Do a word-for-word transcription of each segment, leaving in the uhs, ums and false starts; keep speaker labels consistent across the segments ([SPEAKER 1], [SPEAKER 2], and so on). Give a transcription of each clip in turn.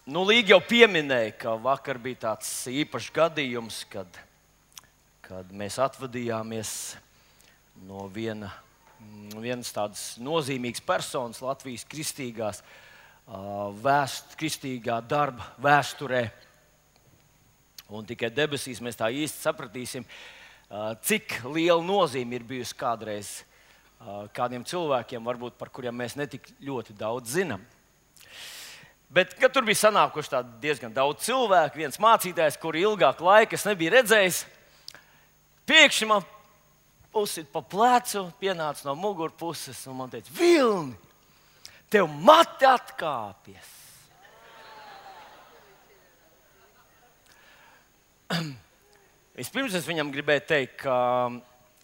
[SPEAKER 1] Nu, Līga jau pieminēja, ka vakar bija tāds īpašs gadījums, kad, kad mēs atvadījāmies no viena, vienas tādas nozīmīgas personas Latvijas kristīgās, vēst, kristīgā darba vēsturē. Un tikai debesīs mēs tā īsti sapratīsim, cik liela nozīme ir bijusi kādreiz kādiem cilvēkiem, varbūt par kuriem mēs netik ļoti daudz zinām. Bet, kad tur bija sanākuši diezgan daudz cilvēku, viens mācītājs, kuru ilgāku laiku es nebiju redzējis, pēkšņi man pusi pa plecu pienāca no mugurpuses un man teica: Vilni, tev mati atkāpjas! Vispirms es viņam gribēju teikt, ka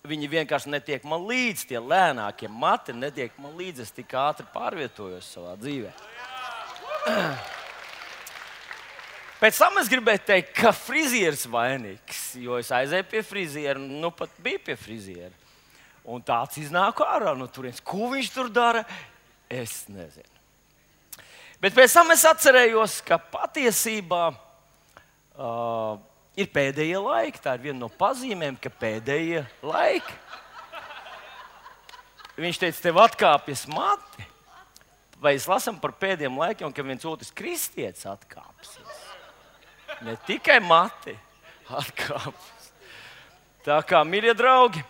[SPEAKER 1] viņi vienkārši netiek man līdzi, tie lēnākie mati netiek man līdzi, es tik ātri pārvietojos savā dzīvē. Pēc tam es gribēju teikt, ka frizieris vainīgs, jo es aizēju pie friziera, nu pat biju pie friziera. Un tāds iznāku ārā no turienes. Ko viņš tur dara, es nezinu. Bet pēc tam es atcerējos, ka patiesībā uh, ir pēdējie laiki. Tā ir viena no pazīmēm, ka pēdējie laiki. Viņš teica, tev atkāpjas mati. Vai es lasām par pēdējiem laikiem, ka viens otrs kristietis atkāpsies? Ne tikai mati atkāpsies. Tā kā, mīļie draugi,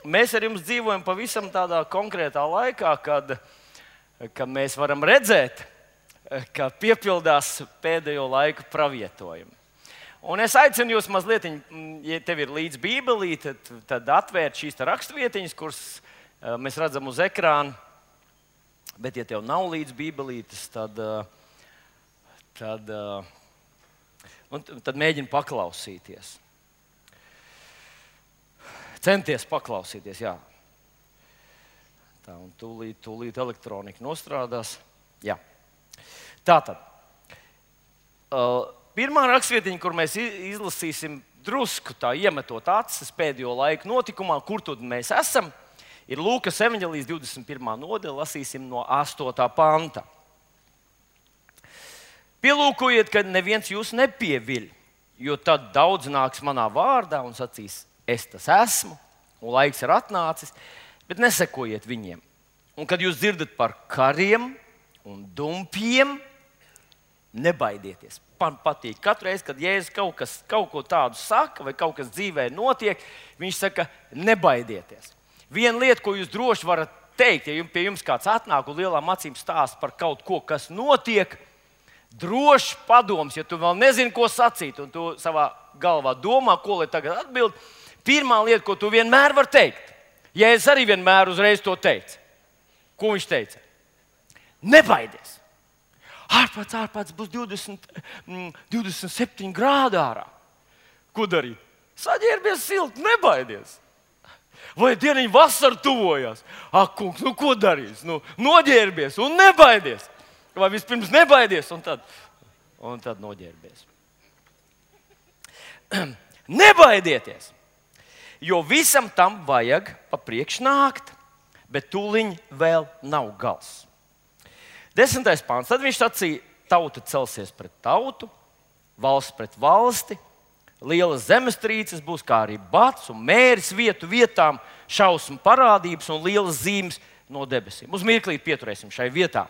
[SPEAKER 1] mēs ar jums dzīvojam pavisam tādā konkrētā laikā, kad, kad mēs varam redzēt, ka piepildās pēdējo laiku pravietojumi. Un es aicinu jūs mazliet, ja tev ir līdz Bībelīte, tad, tad atvērt šīs rakstvietiņas, kuras mēs redzam uz ekrāna. Bet, ja tev nav līdz Bībelītes, tad, tad, tad mēģini paklausīties. Centies paklausīties, jā. Tā, un tūlīt, tūlīt elektronika nostrādās. Jā. Tātad. Pirmā rakstvietiņa, kur mēs izlasīsim drusku tā iemetot acis pēdējo laiku notikumā, kur tad mēs esam, ir Lūkas evaņģēlijas divdesmit pirmā nodaļa, lasīsim no astotā panta. Pielūkojiet, ka neviens jūs nepieviļ, jo tad daudz nāks manā vārdā un sacīs, es tas esmu, un laiks ir atnācis, bet nesekojiet viņiem. Un kad jūs dzirdat par kariem un dumpiem, nebaidieties. Man patīk. Katru reizi, kad Jēzus kaut, kas, kaut ko tādu saka vai kaut kas dzīvē notiek, viņš saka, nebaidieties. Viena lieta, ko jūs droši varat teikt, ja pie jums kāds atnāk un lielām acīm stāsta par kaut ko, kas notiek, droši padoms, ja tu vēl nezini, ko sacīt, un tu savā galvā domā, ko lai tagad atbild, pirmā lieta, ko tu vienmēr vari teikt, ja es arī vienmēr uzreiz to teicu. Ko viņš teica? Nebaidies! Ārpēc, ārpēc būs divdesmit, divdesmit septiņi grādi ārā. Ko darīt? Saģērbies silti, nebaidies! Vai dieniņa vasara tuvojās? Ak, kungs, nu ko darīs? Nu, noģērbies un nebaidies. Vai vispirms nebaidies un tad, un tad noģērbies. Nebaidieties, jo visam tam vajag pa priekš nākt, bet tūliņ vēl nav gals. Desmitais pāns. Tad viņš sacīja, tauta celsies pret tautu, valsts pret valsti, lielas zemestrīces būs, kā arī bats un mēris vietu vietām, šausmu parādības un lielas zīmes no debesīm. Uz mirklīt pieturēsim šai vietā.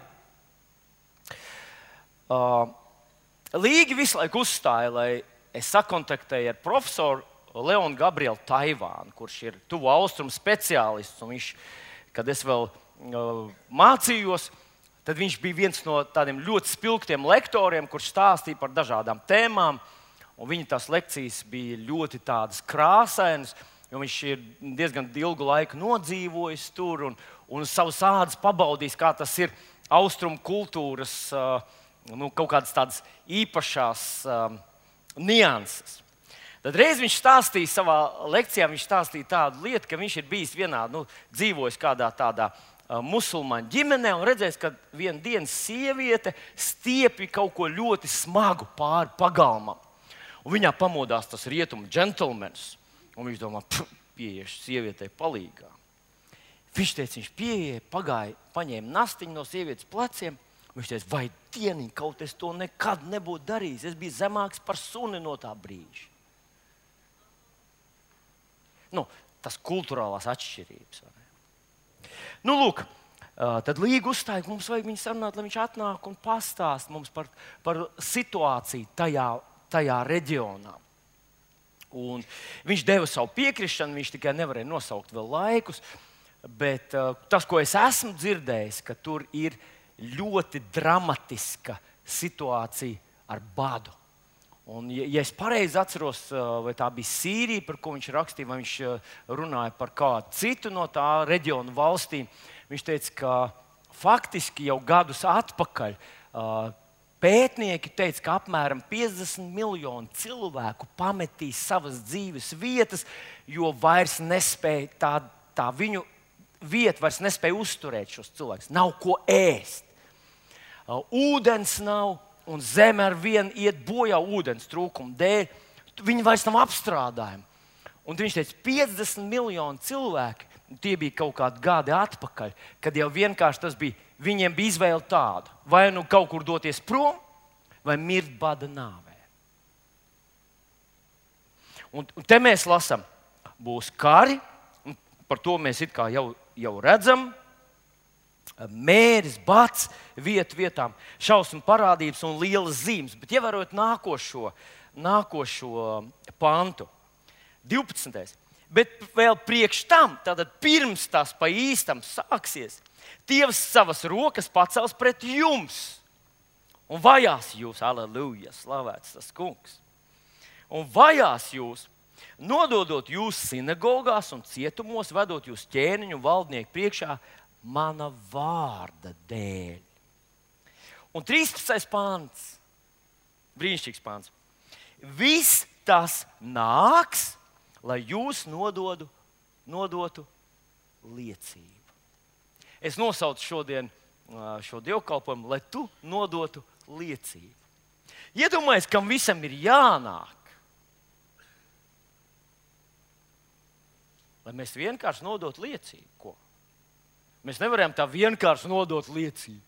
[SPEAKER 1] Uh, Līgi visu laiku uzstāja, lai es sakontaktēju ar profesoru Leonu Gabrielu Taivānu, kurš ir tuvu austrumu speciālists. Un viņš, kad es vēl uh, mācījos, tad viņš bija viens no tādiem ļoti spilgtiem lektoriem, kurš stāstīja par dažādām tēmām. Un viņa tās lekcijas bija ļoti tādas krāsainas, jo viņš ir diezgan ilgu laiku nodzīvojis tur un, un savas ādas pabaudījis, kā tas ir austrumu kultūras uh, nu, kaut kādas tādas īpašās uh, nianses. Tad reiz viņš stāstīja savā lekcijā, viņš stāstīja tādu lietu, ka viņš ir bijis vienā, nu, dzīvojis kādā tādā uh, musulmaņu ģimenē un redzējis, ka viena dienas sieviete stiepja kaut ko ļoti smagu pāri pagalmam. Un viņā pamodās tas rietumu džentlmenis. Un viņš domā, pieiešu sievietei palīgā. Viņš teica, viņš pieeja, pagāja, paņēma nastiņu no sievietes pleciem Viņš teica, vai dieniņ, kaut es to nekad nebūtu darījis. Es biju zemāks par suni no tā brīža. Nu, tas kultūrālās atšķirības. Nu, lūk, tad Līga uzstāja, ka mums vajag viņu sarunāt, lai viņš atnāk un pastāst mums par, par situāciju tajā, tajā reģionā. Un viņš deva savu piekrišanu, viņš tikai nevarēja nosaukt vēl laikus, bet uh, tas, ko es esmu dzirdējis, ka tur ir ļoti dramatiska situācija ar badu. Un, ja, ja es pareizi atceros, uh, vai tā bija Sīrija, par ko viņš rakstīja, vai viņš uh, runāja par kādu citu no tā reģiona valstīm, viņš teica, ka faktiski jau gadus atpakaļ uh, pētnieki teica, ka apmēram piecdesmit miljoni cilvēku pametīs savas dzīves vietas, jo vairs nespēja tā, tā viņu vieta vairs nespēja uzturēt šos cilvēkus. Nav ko ēst. Uh, ūdens nav, un zeme ar vienu iet bojā ūdens trūkuma dēļ. Viņi vairs nav apstrādājami. Un viņš teica, piecdesmit miljoni cilvēki, tie bija kaut kādi gadi atpakaļ, kad jau vienkārši tas bija. Viņiem bija izvēle tāda, vai nu kaut kur doties prom, vai mirt bada nāvē. Un, un te mēs lasām, būs kari, un par to mēs it kā jau, jau redzam, mēris, bats, vietu vietām, šausmu parādības un lielas zīmes. Bet ievērojot nākošo, nākošo pantu, divpadsmitais. Bet vēl priekš tam, tātad pirms tās pa īstam sāksies, Dievs savas rokas pacels pret jums un vajās jūs, aleluja, slavēts tas kungs. Un vajās jūs, nododot jūs sinagogās un cietumos, vedot jūs ķēniņu valdnieku priekšā mana vārda dēļ. Un trīspadsmitais pāns, brīnišķīgs pāns. Viss tas nāks, lai jūs nododu, nodotu liecību. Es nosaucu šodien šo dievkalpojumu, lai tu nodotu liecību. Iedomājies, kam visam ir jānāk. Lai mēs vienkārši nodotu liecību. Ko? Mēs nevaram tā vienkārši nodot liecību.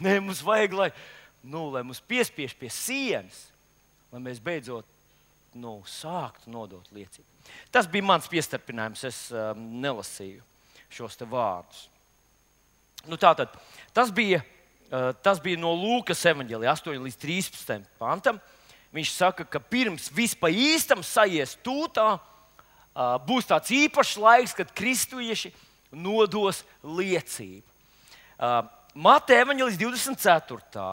[SPEAKER 1] Nē, mums vajag, lai, nu, lai mums piespiež pie sienas, lai mēs beidzot nu, sāktu nodot liecību. Tas bija mans piestarpinājums, es um, nelasīju šos te vārdus. Nu, tātad, tas, bija, uh, tas bija no Lūkas evaņģēlija astoņi līdz trīspadsmitajam pantam. Viņš saka, ka pirms vispār īstam sajies tūtā, uh, būs tāds īpašs laiks, kad kristieši nodos liecību. Uh, Mateja evaņģēlijas divdesmit ceturtā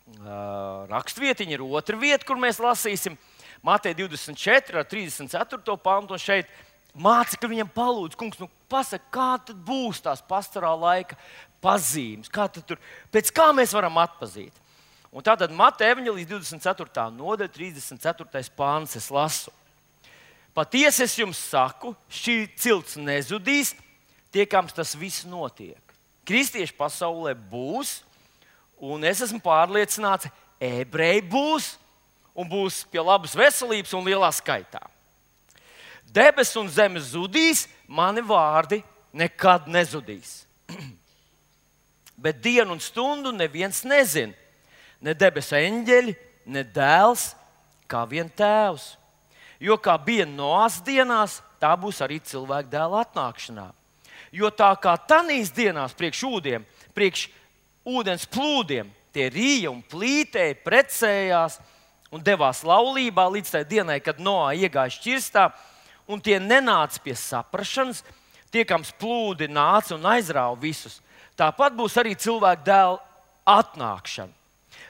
[SPEAKER 1] Uh, rakstvietiņa ir otra vieta, kur mēs lasīsim. Mateja divdesmit četri ar trīsdesmit ceturto pantu. Un šeit mācekļi viņam palūdz, kungs, nu pasaka, kā tad būs tās pastorāla laika pazīmes, kā tad tur, pēc kā mēs varam atpazīt. Un tātad Mateja evaņģēlijas divdesmit ceturtā nodaļa, trīsdesmit ceturtais pants es lasu. Patiesi es jums saku, šī cilts nezudīs, tiekams tas viss notiek. Kristieši pasaulē būs, un es esmu pārliecināts, ebreji būs, un būs pie labas veselības un lielā skaitā. Debes un zeme zudīs, mani vārdi nekad nezudīs. Bet dienu un stundu neviens nezina. Ne debesu eņģeļi, ne dēls, kā vien tēvs. Jo kā bija Noās dienās, tā būs arī cilvēka dēla atnākšanā. Jo tā kā tanīs dienās priekš ūdiem, priekš ūdens plūdiem, tie rīja un plītēja, precējās un devās laulībā līdz tai dienai, kad Noā iegāja šķirstā, un tie nenāca pie saprašanas, tiekams plūdi nāca un aizrāva visus. Tāpat būs arī cilvēka dēla atnākšana.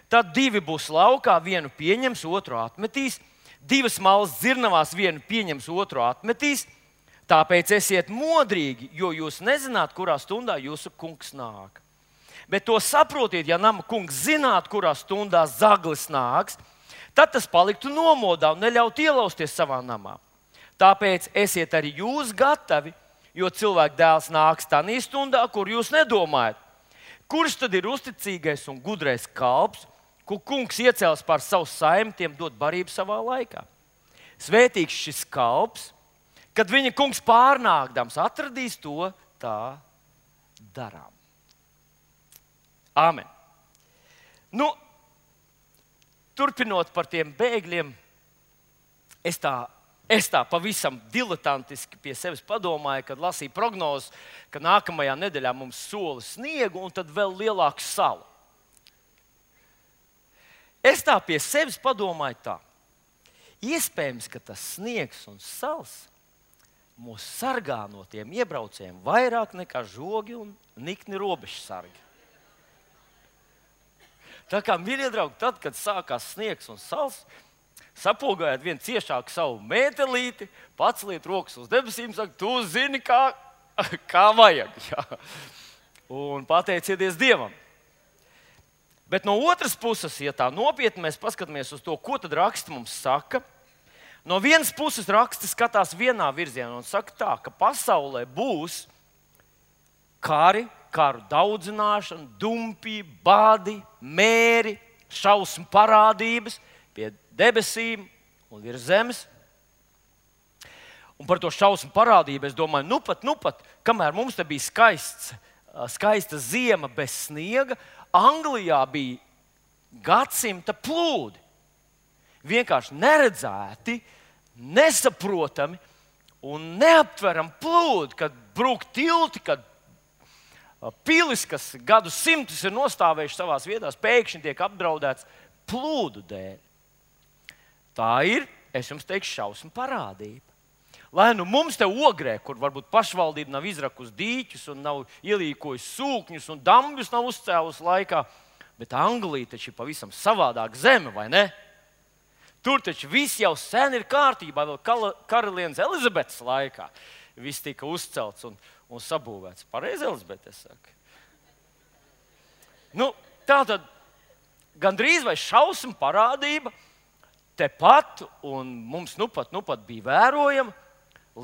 [SPEAKER 1] Tad divi būs laukā, vienu pieņems, otru atmetīs, divas malas dzirnavās, vienu pieņems, otru atmetīs. Tāpēc esiet modrīgi, jo jūs nezināt, kurā stundā jūsu kungs nāk. Bet to saprotiet, ja nama kungs zinātu, kurā stundā zaglis nāks, tad tas paliktu nomodā un neļautu ielausties savā namā. Tāpēc esiet arī jūs gatavi, jo cilvēka dēls nāks tanī stundā, kur jūs nedomājat. Kurš tad ir uzticīgais un gudrais kalps, ko kungs iecels pār savu saimi, tiem dot barību savā laikā? Svētīgs šis kalps, kad viņa kungs pārnākdams atradīs to tā darām. Āmen. Nu, turpinot par tiem bēgļiem, es tā, es tā pavisam diletantiski pie sevis padomāju, kad lasīju prognozes, ka nākamajā nedēļā mums sola sniegu un tad vēl lielāku salu. Es tā pie sevis padomāju tā. Iespējams, ka tas sniegs un sals mūs sargā no tiem iebraucējiem vairāk nekā žogi un nikni robežsargi. Tā kā, mīļie draugi, tad, kad sākās sniegs un sals, sapogājiet vien ciešāk savu mētelīti, paceliet rokas uz debesīm, saka, tu zini, kā, kā vajag. Jā. Un pateicieties Dievam. Bet no otras puses, ja tā nopietni mēs paskatāmies uz to, ko tad raksts mums saka, no vienas puses raksts skatās vienā virzienā un saka tā, ka pasaulē būs kari, karu daudzināšana, dumpi, bādi, mēri, šausmu parādības pie debesīm un virs zemes. Un par to šausmu parādību es domāju, nu pat, nu pat, kamēr mums te bija skaists, skaista ziema bez sniega, Anglijā bija gadsimta plūdi. Vienkārši neredzēti, nesaprotami un neaptverami plūdi, kad brūk tilti, kad pilis, kas gadu simtus ir nostāvējuši savās vietās, pēkšņi tiek apdraudēts plūdu dēļ. Tā ir, es jums teikšu, šausmu parādība. Lai nu mums te Ogrē, kur varbūt pašvaldība nav izrakusi dīķus un nav ielīkojusi sūkņus un dambjus nav uzcēlusi laikā, bet Anglija taču ir pavisam savādāk zeme, vai ne? Tur taču viss jau sen ir kārtībā, vēl karalienes Elizabetes laikā. Viss tika uzcelts un, un sabūvēts. Pareizi, Elizabete, es saku. Nu, tā tad gandrīz vai šausmu parādība tepat, un mums nu pat, nu pat bija vērojama,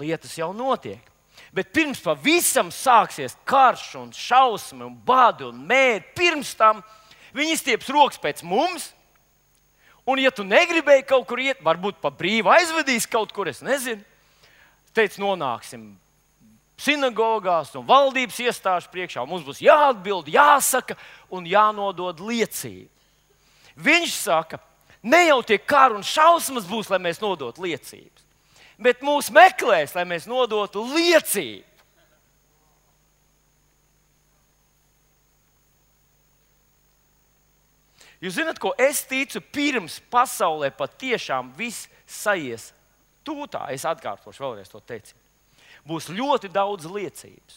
[SPEAKER 1] lietas jau notiek. Bet pirms pavisam sāksies karš un šausmi un badi un mēri, pirms tam viņi izstieps rokas pēc mums, un ja tu negribēji kaut kur iet, varbūt pa brīvu aizvedīs kaut kur, es nezinu, teic, nonāksim sinagogās un valdības iestāžu priekšā, un mums būs jāatbild, jāsaka un jānodod liecība. Viņš saka, ne jau tie kari un šausmas būs, lai mēs nodotu liecības, bet mūs meklēs, lai mēs nodotu liecību. Jūs zināt, ko es ticu, pirms pasaulē patiešām viss saies tūtā, es atkārtošu vēlreiz to teicienu. Būs ļoti daudz liecības.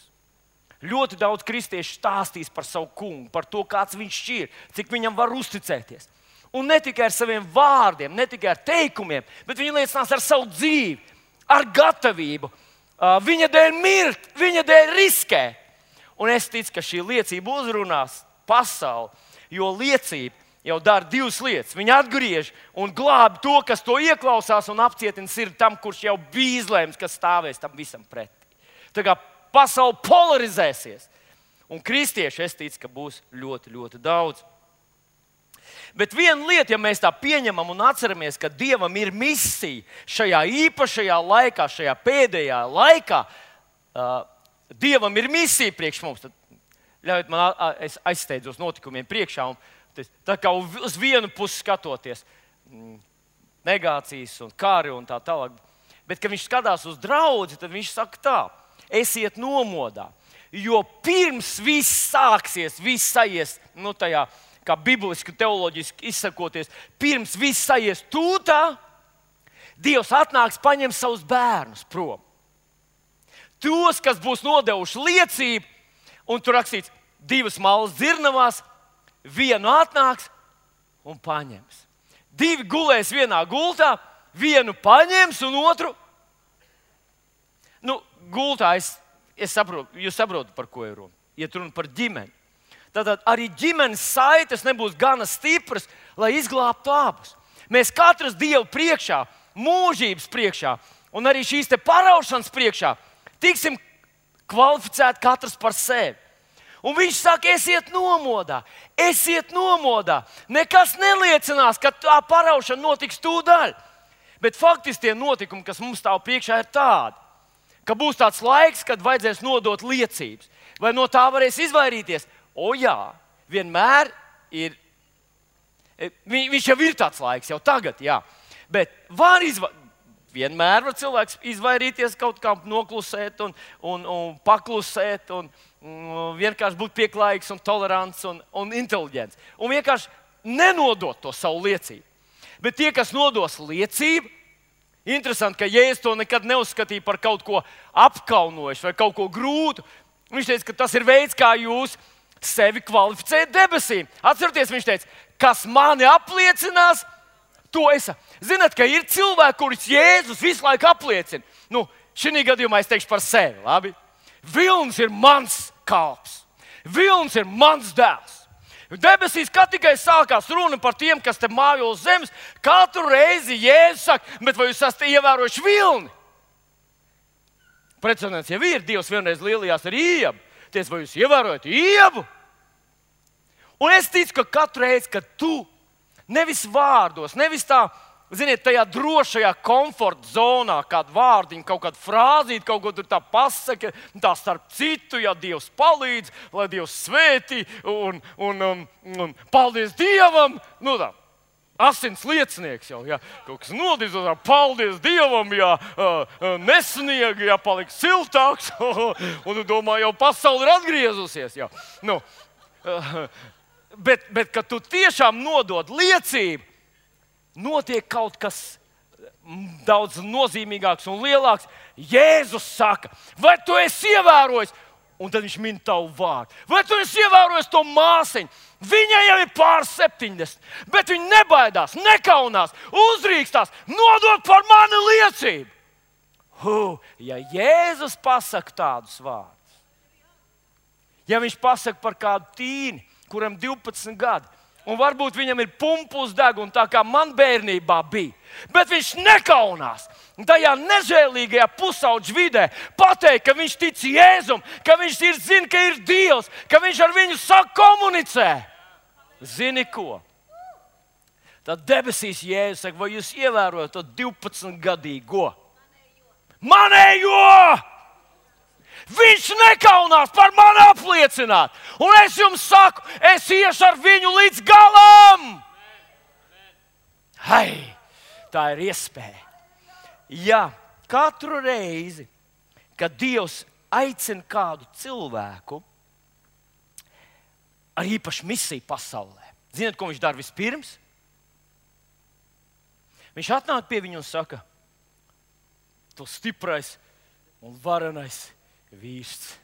[SPEAKER 1] Ļoti daudz kristiešu stāstīs par savu kungu, par to, kāds viņš ir, cik viņam var uzticēties. Un ne tikai ar saviem vārdiem, ne tikai ar teikumiem, bet viņi liecinās ar savu dzīvi, ar gatavību. Viņa dēļ mirt, viņa dēļ riskēt. Un es ticu, ka šī liecība uzrunās pasauli, jo liecība jau dara divas lietas. Viņa atgriež un glābi to, kas to ieklausās un apcietina sirdi tam, kurš jau bija izlēms, kas stāvēs tam visam pretī. Tā kā pasaule polarizēsies. Un kristieši, es ticu, ka būs ļoti, ļoti daudz. Bet viena lieta, ja mēs tā pieņemam un atceramies, ka Dievam ir misija šajā īpašajā laikā, šajā pēdējā laikā, uh, Dievam ir misija priekš mums, tad ļaujiet man, es aizsteidzos notikumiem priekšā un tā kā uz vienu pusi skatoties, negācijas un kari un tā tālāk. Bet, kad viņš skatās uz draudzi, tad viņš saka tā, esiet nomodā. Jo pirms viss sāksies, viss saies, nu tajā, kā bibliski, teoloģiski izsakoties, pirms viss saies tūtā, Dievs atnāks paņem savus bērnus prom. Tos, kas būs nodevuši liecību, un tur rakstīts divas malas dzirnavās, vienu atnāks un paņems. Divi gulēs vienā gultā, vienu paņems un otru. Nu, gultā es, es saprotu, jūs saprotat, par ko ir runa. Iet runa par ģimeni. Tātad arī ģimenes saites nebūs gana stipras, lai izglābtu abus. Mēs katrs Dievu priekšā, mūžības priekšā un arī šīs te paraušanas priekšā tiksim kvalificēti katrs par sevi. Un viņš saka, esiet nomodā, esiet nomodā. Nekas neliecinās, ka tā paraušana notiks tūdaļ. Bet faktiski tie notikumi, kas mums stāv priekšā, ir tādi, ka būs tāds laiks, kad vajadzēs nodot liecības. Vai no tā varēs izvairīties? O jā, vienmēr ir Vi, viņš jau ir tāds laiks, jau tagad, jā. Bet var izva... vienmēr var cilvēks izvairīties kaut kā noklusēt un, un, un paklusēt un, un vienkārši būt pieklājīgs un tolerants un, un inteliģents. Un vienkārši nenodot to savu liecību. Bet tie, kas nodos liecību, interesanti, ka Jēzus to nekad neuzskatīja par kaut ko apkaunojušu vai kaut ko grūtu. Viņš teica, ka tas ir veids, kā jūs sevi kvalificējat debesīm. Atcerieties, viņš teica, kas mani apliecinās, to es. Zināt, ka ir cilvēki, kurus Jēzus visu laiku apliecina. Nu, šī gadījumā es teikšu par sevi. Labi? Vilnis ir mans kalps. Vilnis ir mans dēls. Debesīs, kad tikai sākās runa par tiem, kas te mājo uz zemes, katru reizi Jēzus saka, bet vai jūs esat ievērojuši vilni? Precedents jau ir. Dievs vienreiz lielījās ar Iebu. Ties, vai jūs ievērojat Iebu? Un es ticu, ka katru reizi, kad tu nevis vārdos, nevis tā, ziniet, tajā drošajā komforta zonā, kāda vārdiņa, kaut kāda frāzīte, kaut ko tur tā pasaka, tā starp citu, ja Dievs palīdz, lai Dievs svētī un, un, un, un paldies Dievam, nu tā, asins liecinieks jau, ja, kaut kas nodīzot, paldies Dievam, ja nesnieg, ja paliek siltāks, un tu domā, jau pasauli ir atgriezusies, ja, nu, Bet, bet, kad tu tiešām nodod liecību, notiek kaut kas daudz nozīmīgāks un lielāks. Jēzus saka, vai tu esi ievērojis, un tad viņš min tavu vārdu. Vai tu esi ievērojis to māsiņu? Viņai jau ir pār septiņdesmit, bet viņa nebaidās, nekaunās, uzrīkstās, nodod par mani liecību. Huh, ja Jēzus pasaka tādus vārdus, ja viņš pasaka par kādu tīni, kuram divpadsmit gadi, un varbūt viņam ir pumpa uz deguna, tā kā man bērnībā bija. Bet viņš nekaunās tajā nežēlīgajā pusaudža vidē pateikt, ka viņš tic Jēzum, ka viņš ir, zina, ka ir Dievs, ka viņš ar viņu sāk komunicē. Zini ko? Tad debesīs Jēzus saka, vai jūs ievērojat to divpadsmitgadīgo? Manējo! Viņš nekaunās par mani apliecināt. Un es jums saku, es iešu ar viņu līdz galam. Hai, tā ir iespēja. Ja katru reizi, kad Dievs aicina kādu cilvēku ar īpašu misiju pasaulē, zināt, ko viņš dara vispirms? Viņš atnāk pie viņu un saka, tu stiprais un varenais vīrs.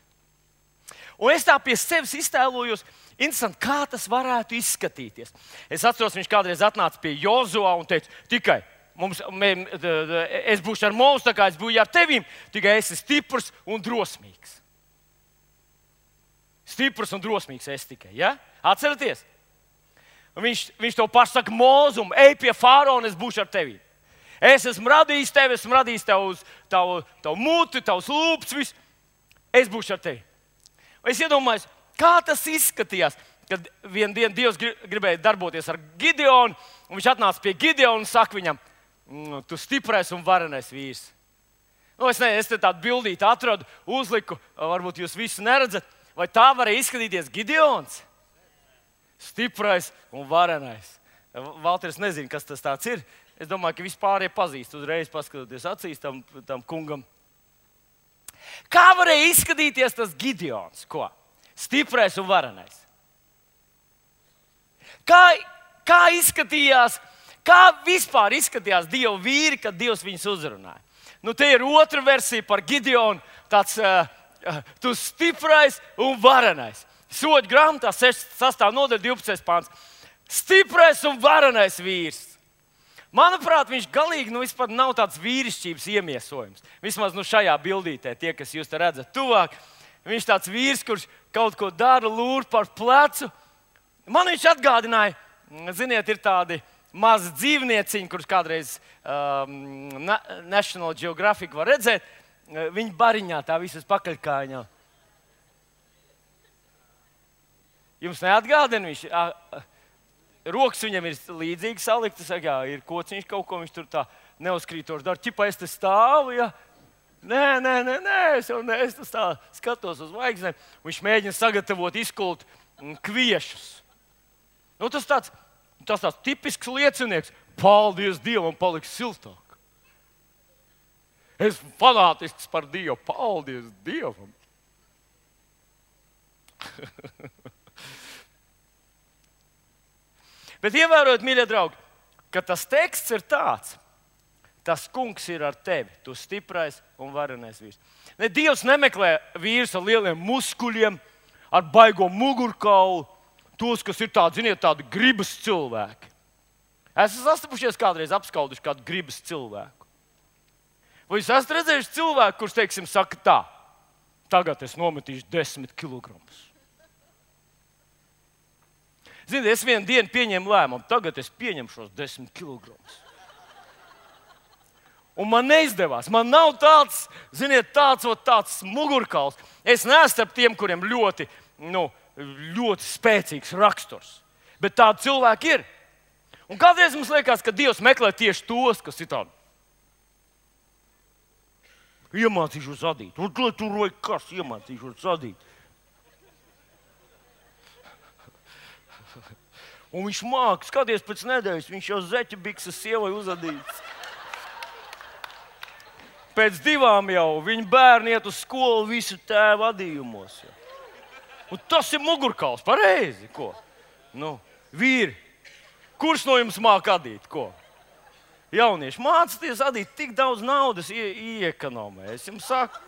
[SPEAKER 1] Un es tā pie sevis iztēlojos, interesanti, kā tas varētu izskatīties. Es atceros, viņš kādreiz atnāca pie Jozua un teica, tikai mums, mē, es būšu ar mums, tā kā es būšu ar tevīm, tikai esi stiprs un drosmīgs. Stiprs un drosmīgs es tikai, ja? Atceraties? Un viņš, viņš to pašu saka Mozum, ej pie faraona, es būšu ar tevīm. Es esmu radījis tevi, esmu radījis tavu, tavu, tavu muti, tavus lūpus, visu. Es būšu ar tevi. Es iedomājos, kā tas izskatījās, kad vienu dienu Dievs gribēja darboties ar Gideonu, un viņš atnāca pie Gideona un saka viņam, tu stiprais un varenais vīrs. Nu, es ne, es te tādu bildīti atradu, uzliku, varbūt jūs visu neredzat, vai tā varēja izskatīties Gideons? Stiprais un varenais. Valters nezina, kas tas tāds ir. Es domāju, ka vispārējie pazīst uzreiz, paskatoties acīs tam, tam kungam. Kā varēja izskatīties tas Gideons? Ko? Stiprais un varenais. Kā, kā izskatījās, kā vispār izskatījās Dieva vīri, kad Dievs viņus uzrunāja? Nu, te ir otra versija par Gideonu, tāds uh, uh, tu stiprais un varenais. Soļu grāmatā sastā nodaļa divpadsmitais pāns. Stiprais un varenais vīrs. Manuprāt, viņš galīgi nu, nav tāds vīrišķības iemiesojums. Vismaz nu, šajā bildītē, tie, kas jūs te redzat tuvāk, viņš tāds vīrs, kurš kaut ko dara, lūr par plecu. Man viņš atgādināja, ziniet, ir tādi mazi dzīvnieciņi, kurus kādreiz um, National Geographic var redzēt. Viņi bariņā tā visas pakaļkājiņā. Jums neatgādina viņš? Rokas viņam ir līdzīgi saliktas, jā, ir kociņš kaut ko, viņš tur tā neuzkrītoši dara. Ķipa, es te stāvu, ja? Nē, nē, nē, nē, es jau ne, es tā skatos uz zvaigznēm. Viņš mēģina sagatavot izkult kviešus. Nu, tas tāds Tas tāds tipisks liecinieks. Paldies Dievam, paliks siltāk. Es esmu fanātisks par Dievu. Paldies Dievam. Bet ievērojiet, mīļie draugi, ka tas teksts ir tāds. Tas kungs ir ar tevi, tu stiprais un varenais vīrs. Ne, Dievs nemeklē vīrus ar lieliem muskuļiem, ar baigo mugurkaulu, tos, kas ir tādi, ziniet, tādi gribas cilvēki. Esat sastapušies kādreiz apskauduši kādu gribas cilvēku? Vai jūs esat redzējuši cilvēku, kurš, teiksim, saka tā, tagad es nometīšu desmit kilogramus. Ziniet, es vienu dienu pieņēmu lēmumu, tagad es pieņemu šos desmit kilogramus. Un man neizdevās. Man nav tāds, ziniet, tāds, tāds mugurkauls. Es neesmu starp tiem, kuriem ļoti, nu, ļoti spēcīgs raksturs. Bet tādi cilvēki ir. Un kādreiz mums liekas, ka Dievs meklē tieši tos, kas ir tādi. Iemācīšos adīt. Un lai tur vai kas iemācīšos adīt. Un viņš māk, skaties pēc nedēļas, viņš jau zeķu bikses sievai uzadīts. Pēc divām jau viņa bērni iet uz skolu visu tēvu adījumos. Jau. Un tas ir mugurkauls, pareizi, ko? Nu, vīri, kurš no jums māk adīt, ko? Jaunieši, mācieties adīt, tik daudz naudas ie, iekonomē. Es jums saku,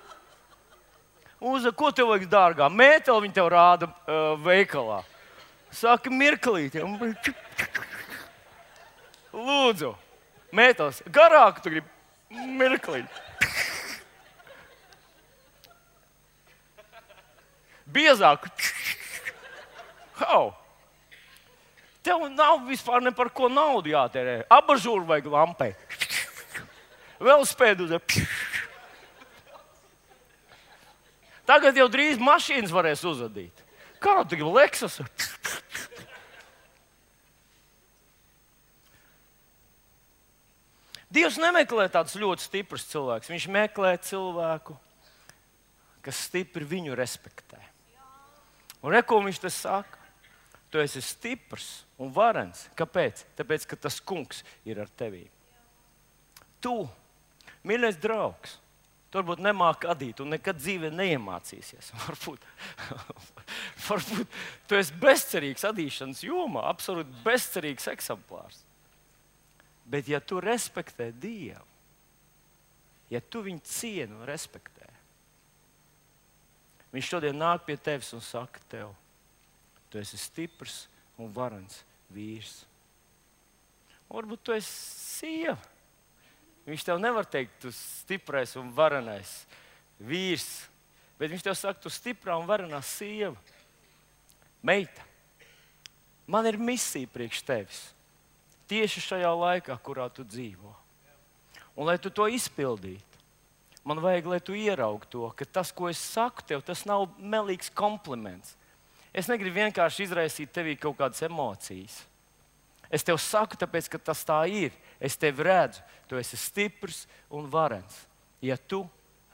[SPEAKER 1] uz, ko tev vajag dārgā? Mēteli viņi tev rāda uh, veikalā. Saka, mirklīt. Lūdzu, mētelis, garāk tu gribi mirklīt. Biezāk. How? Tev nav vispār ne par ko naudu jātērē. Abažūru vajag lampai. Velosipēdu uz. Tagad jau drīz mašīnas varēs uzadīt. Kādu tu gribi Lexus? Dievs nemeklē tādus ļoti stiprus cilvēkus. Viņš meklē cilvēku, kas stipri viņu respektē. Un re, ko viņš te saka? Tu esi stiprs un varens. Kāpēc? Tāpēc, ka tas kungs ir ar tevi. Tu, mīļais draugs, tu varbūt nemāki adīt un nekad dzīvē neiemācīsies. Varbūt, varbūt tu esi bezcerīgs adīšanas jomā, absolūti bezcerīgs eksemplārs. Bet ja tu respektē Dievu, ja tu viņu cieni un respektē, viņš šodien nāk pie tevis un saka tev, tu esi stiprs un varens vīrs. Un varbūt tu esi sieva. Viņš tev nevar teikt, tu stiprais un varenais vīrs, bet viņš tev saka, tu stiprā un varenā sieva. Meita, man ir misija priekš tevis. Tieši šajā laikā, kurā tu dzīvo. Un lai tu to izpildītu, man vajag, lai tu ieraugtu to, ka tas, ko es saku tev, tas nav melīgs kompliments. Es negribu vienkārši izraisīt tevī kaut kādas emocijas. Es tev saku, tāpēc, ka tas tā ir. Es tevi redzu, tu esi stiprs un varens, ja tu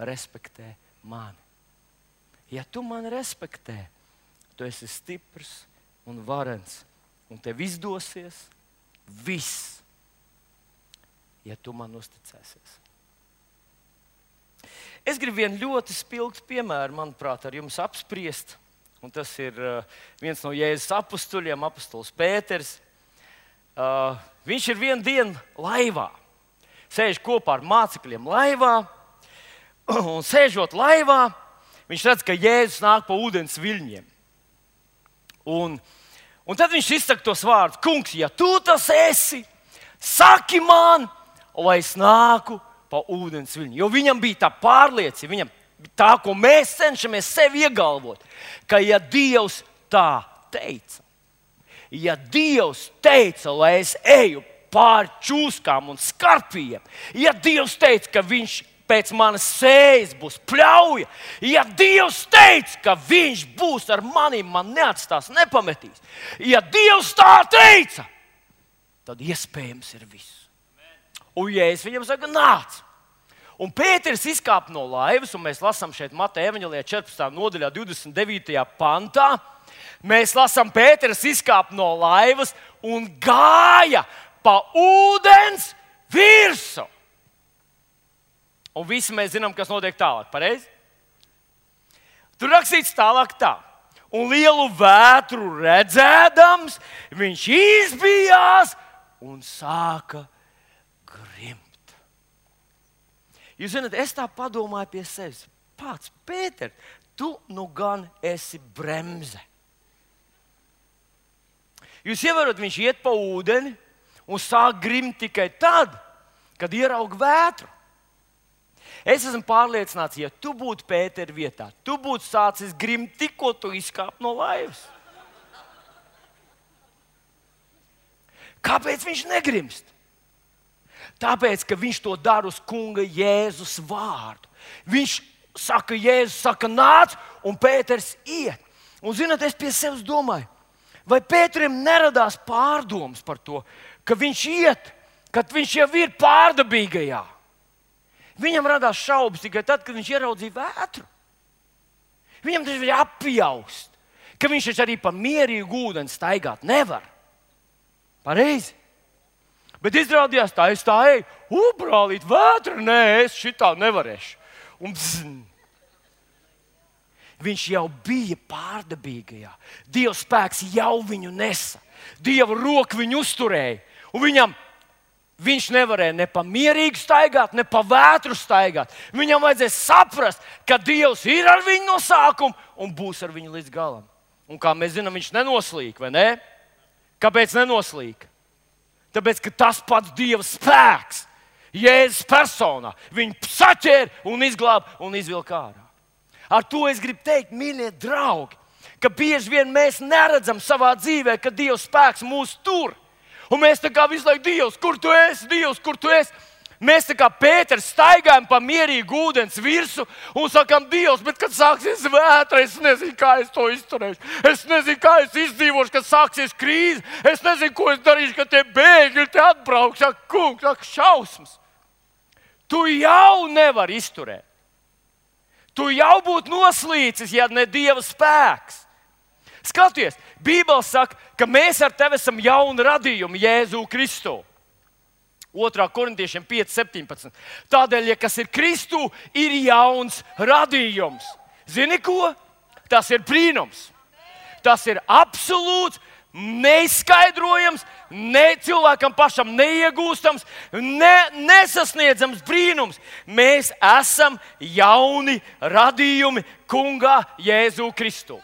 [SPEAKER 1] respektē mani. Ja tu mani respektē, tu esi stiprs un varens, un tev izdosies viss, ja tu man uzticēsies. Es gribu vienu ļoti spilgtu piemēru, manuprāt, ar jums apspriest. Un tas ir uh, viens no Jēzus apustuļiem, apustulis Pēters. Uh, viņš ir vienu dienu laivā. Sēž kopā ar mācekļiem laivā. Un sēžot laivā, viņš redz, ka Jēzus nāk pa ūdens viļņiem. Un, un tad viņš izsaka tos vārdus: Kungs, ja tu tas esi, saki man, lai es nāku pa ūdens viļņu. Jo viņam bija tā pārliecība, viņam tā, ko mēs cenšamies sev iegalvot, ka ja Dievs tā teica, ja Dievs teica, lai es eju pāri čūskām un skarpiem, ja Dievs teica, ka viņš pēc manas sējas būs pļauja, ja Dievs teica, ka viņš būs ar maniem, man neatstās, nepametīs, ja Dievs tā teica, tad iespējams ir viss. Un Jēzus viņam saka, nāc. Un Pēters izkāp no laivas, un mēs lasām šeit Mateja evaņģēlijā četrpadsmitajā nodaļā, divdesmit devītajā pantā. Mēs lasām, Pēters izkāp no laivas un gāja pa ūdens virsmu. Un visi mēs zinām, kas notiek tālāk. Pareizi? Tur rakstīts tālāk tā. Un lielu vētru redzēdams, viņš izbijās un sāka grimt. Jūs zināt, es tā padomāju pie sevis. Pats, Pēter, tu nu gan esi bremze. Jūs ievērot, viņš iet pa ūdeni un sāk grimt tikai tad, kad ieraug vētru. Es esmu pārliecināts, ja tu būtu Pētera vietā, tu būtu sācis grimt tikko tu izkāp no laivas. Kāpēc viņš negrimst? Tāpēc, ka viņš to dara uz kunga Jēzus vārdu. Viņš saka, Jēzus saka, nāc, un Pēters iet. Un zināt, es pie sevis domāju, vai Pēterim neradās pārdomas par to, ka viņš iet, kad viņš jau ir pārdabīgajā. Viņam radās šaubas tikai tad, kad viņš ieraudzīja vētru. Viņam tas bija apjaust, ka viņš arī pa mierīgu ūdeni staigāt nevar. Pareizi. Bet izrādījās tā, es tā eju, ubrālīt, vētra, nē, es šitā nevarēšu. Un bzn. Viņš jau bija pārdabīgajā. Dieva spēks jau viņu nesa. Dieva roka viņu uzturēja. Un viņam Viņš nevarēja ne pa mierīgu staigāt, ne pa vētru staigāt. Viņam vajadzēja saprast, ka Dievs ir ar viņu no sākuma un būs ar viņu līdz galam. Un kā mēs zinām, viņš nenoslīk, vai ne? Kāpēc nenoslīk? Tāpēc, ka tas pats Dieva spēks, Jēzus personā, viņu saķēra un izglāba un izvilka ārā. Ar to es gribu teikt, mīļie draugi, ka bieži vien mēs neredzam savā dzīvē, ka Dieva spēks mūs tur. Un mēs tā kā visu laiku, Dievs, kur tu esi, Dievs, kur tu esi? Mēs tā kā Pēters staigājam pa mierīgu ūdens virsu un sakām, Dievs, bet kad sāksies vētra, es nezinu, kā es to izturēšu. Es nezinu, kā es izdzīvošu, kad sāksies krīze. Es nezinu, ko es darīšu, kad tie bēgļi te atbrauks. Ak, kungs, ak, šausmas. Tu jau nevari izturēt. Tu jau būtu noslīcis, ja ne Dieva spēks. Skaties, Bībele saka, ka mēs ar tevi esam jauni radījumi Jēzu Kristu. otrā korintiešiem pieci septiņpadsmit. Tādēļ, ja kas ir Kristu, ir jauns radījums. Zini ko? Tas ir brīnums. Tas ir absolūts, neizskaidrojams, ne cilvēkam pašam neiegūstams, ne, nesasniedzams brīnums. Mēs esam jauni radījumi kungā Jēzu Kristu.